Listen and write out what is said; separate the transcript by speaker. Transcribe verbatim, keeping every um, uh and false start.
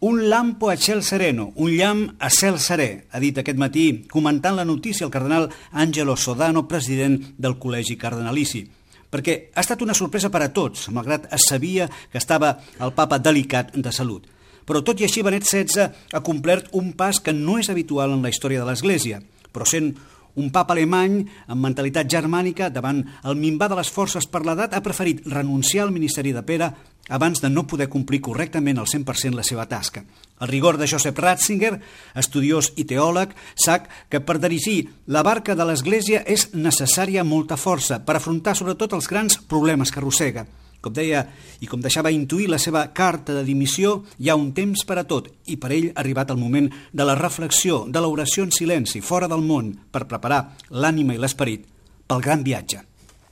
Speaker 1: Un lampo a ciel sereno, un llamp a cel serè, ha dit aquest matí, comentant la notícia el cardenal Angelo Sodano, president del Col·legi Cardenalici. Perquè ha estat una sorpresa per a tots, malgrat es sabia que estava el papa delicat de salut. Però tot i així Benet setze ha complert un pas que no és habitual en la història de l'Església, però sent un papa alemany amb mentalitat germànica davant el minvar de les forces per l'edat ha preferit renunciar al ministeri de Pere abans de no poder complir correctament al cent per cent la seva tasca. El rigor de Joseph Ratzinger, estudiós i teòleg, sap que per dirigir la barca de l'Església és necessària molta força per afrontar sobretot els grans problemes que arrossega. Com deia i com deixava intuir la seva carta de dimissió, hi ha un temps per a tot i per ell ha arribat el moment de la reflexió, de l'oració en silenci, fora del món, per preparar l'ànima i l'esperit pel gran viatge.